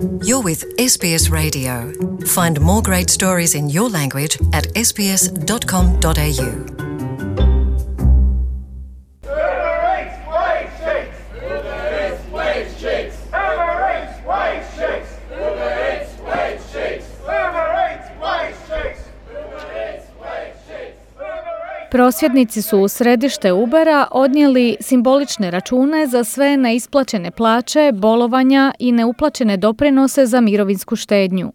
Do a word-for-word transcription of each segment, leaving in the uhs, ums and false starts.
You're with S B S Radio. Find more great stories in your language at s b s dot com dot a u. Prosvjednici su u središte Ubera odnijeli simbolične račune za sve neisplaćene plaće, bolovanja i neuplaćene doprinose za mirovinsku štednju.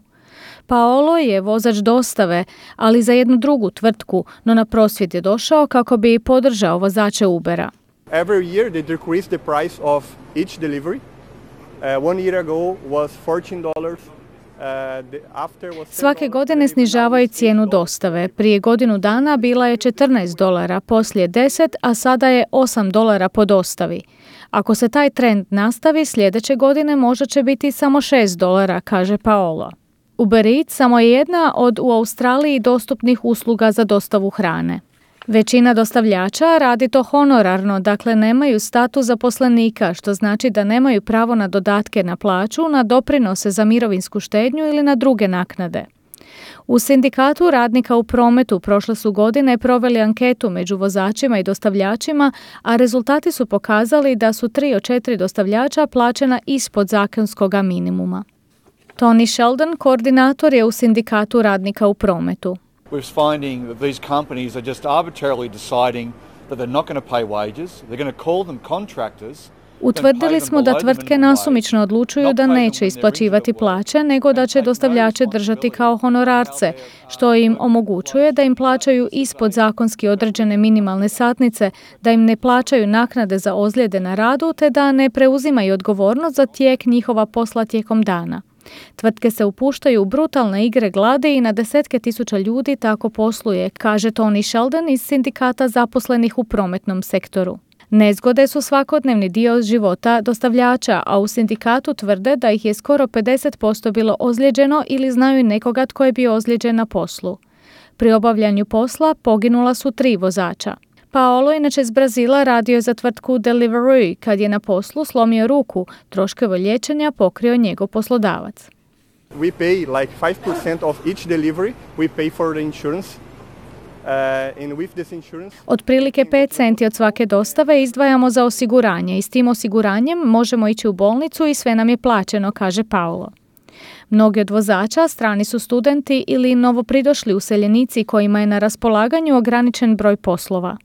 Paolo je vozač dostave, ali za jednu drugu tvrtku, no na prosvjed je došao kako bi podržao vozače Ubera. Every year they decrease the price of each delivery. Uh, one year ago was fourteen dollars. Svake godine snižavaju cijenu dostave. Prije godinu dana bila je četrnaest dolara, poslije deset, a sada je osam dolara po dostavi. Ako se taj trend nastavi, sljedeće godine možda će biti samo šest dolara, kaže Paolo. Uber Eats samo je jedna od u Australiji dostupnih usluga za dostavu hrane. Većina dostavljača radi to honorarno, dakle nemaju status zaposlenika, što znači da nemaju pravo na dodatke na plaću, na doprinose za mirovinsku štednju ili na druge naknade. U sindikatu radnika u prometu prošle su godine proveli anketu među vozačima i dostavljačima, a rezultati su pokazali da su tri od četiri dostavljača plaćena ispod zakonskog minimuma. Tony Sheldon, koordinator je u sindikatu radnika u prometu. We're finding that these companies are just arbitrarily deciding that they're not going to pay wages. They're going to call them contractors. Utvrdili smo da tvrtke nasumično odlučuju da neće isplaćivati plaće, nego da će dostavljače držati kao honorarce, što im omogućuje da im plaćaju ispod zakonski određene minimalne satnice, da im ne plaćaju naknade za ozljede na radu, te da ne preuzimaju odgovornost za tijek njihova posla tijekom dana. Tvrtke se upuštaju u brutalne igre gladi i na desetke tisuća ljudi tako posluje, kaže Tony Sheldon iz sindikata zaposlenih u prometnom sektoru. Nezgode su svakodnevni dio života dostavljača, a u sindikatu tvrde da ih je skoro pedeset posto bilo ozlijeđeno ili znaju nekoga tko je bio ozlijeđen na poslu. Pri obavljanju posla poginula su tri vozača. Paolo, inače iz Brazila, radio je za tvrtku Deliveroo. Kad je na poslu slomio ruku, troškove liječenja pokrio njegov poslodavac. We pay like five percent of each delivery. We pay for the insurance. Uh, and with this insurance... Otprilike pet centi od svake dostave izdvajamo za osiguranje i s tim osiguranjem možemo ići u bolnicu i sve nam je plaćeno, kaže Paolo. Mnogi od vozača strani su studenti ili novopridošli useljenici kojima je na raspolaganju ograničen broj poslova.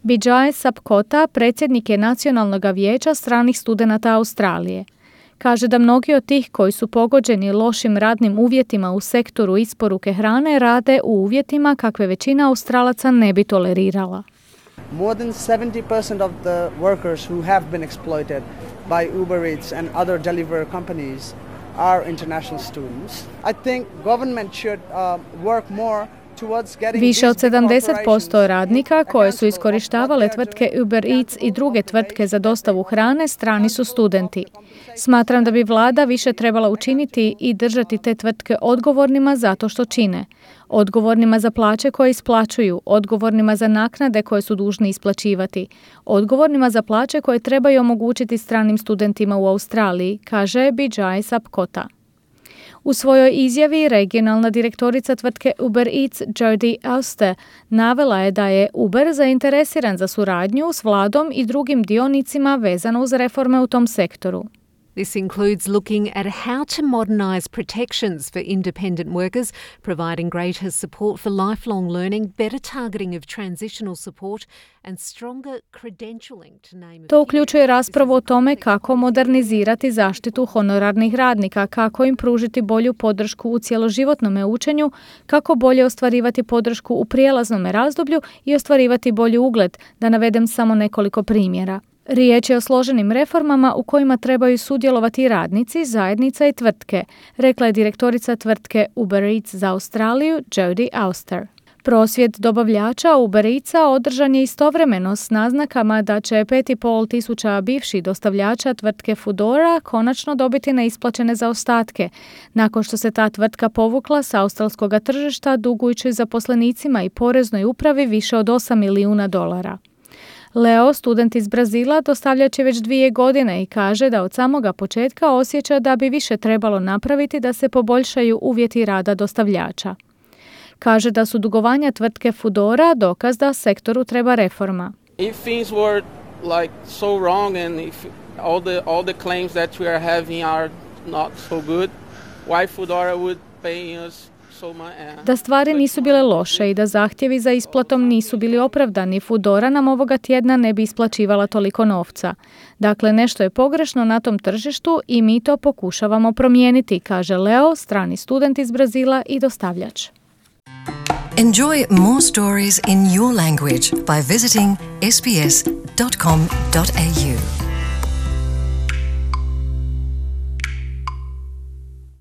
Bijay Sapkota, predsjednik je Nacionalnog vijeća stranih studenata Australije. Kaže da mnogi od tih koji su pogođeni lošim radnim uvjetima u sektoru isporuke hrane rade u uvjetima kakve većina Australaca ne bi tolerirala. More than seventy percent of the workers who have been exploited by Uber Eats and other delivery companies are international students. I think government should uh, work more. Više od sedamdeset posto radnika koje su iskorištavale tvrtke Uber Eats i druge tvrtke za dostavu hrane strani su studenti. Smatram da bi vlada više trebala učiniti i držati te tvrtke odgovornima zato što čine. Odgovornima za plaće koje isplaćuju, odgovornima za naknade koje su dužni isplaćivati, odgovornima za plaće koje trebaju omogućiti stranim studentima u Australiji, kaže Bijay Sapkota. U svojoj izjavi regionalna direktorica tvrtke Uber Eats Jodie Auster navela je da je Uber zainteresiran za suradnju s vladom i drugim dionicima vezano uz reforme u tom sektoru. This includes looking at how to modernise protections for independent workers, providing greater support for lifelong learning, better targeting of transitional support and stronger credentialing, to name a few. To uključuje raspravu o tome kako modernizirati zaštitu honorarnih radnika, kako im pružiti bolju podršku u cjeloživotnom učenju, kako bolje ostvarivati podršku u prijelaznom razdoblju i ostvarivati bolji ugled, da navedem samo nekoliko primjera. Riječ je o složenim reformama u kojima trebaju sudjelovati radnici, zajednica i tvrtke, rekla je direktorica tvrtke Uber Eats za Australiju Jodie Auster. Prosvjed dobavljača Uber Eatsa održan je istovremeno s naznakama da će pet i pol tisuća bivših dostavljača tvrtke Foodora konačno dobiti neisplaćene zaostatke, nakon što se ta tvrtka povukla sa australskog tržišta dugujući zaposlenicima i poreznoj upravi više od osam milijuna dolara. Leo, student iz Brazila, dostavljač je već dvije godine i kaže da od samoga početka osjeća da bi više trebalo napraviti da se poboljšaju uvjeti rada dostavljača. Kaže da su dugovanja tvrtke Foodora dokaz da sektoru treba reforma. If things were like so wrong and if all the all the claims that we are having are not so good, why Foodora would pay us so much? Da stvari nisu bile loše i da zahtjevi za isplatom nisu bili opravdani, Foodora nam ovoga tjedna ne bi isplaćivala toliko novca. Dakle, nešto je pogrešno na tom tržištu i mi to pokušavamo promijeniti, kaže Leo, strani student iz Brazila i dostavljač. Enjoy more stories in your language by visiting s b s dot com dot a u.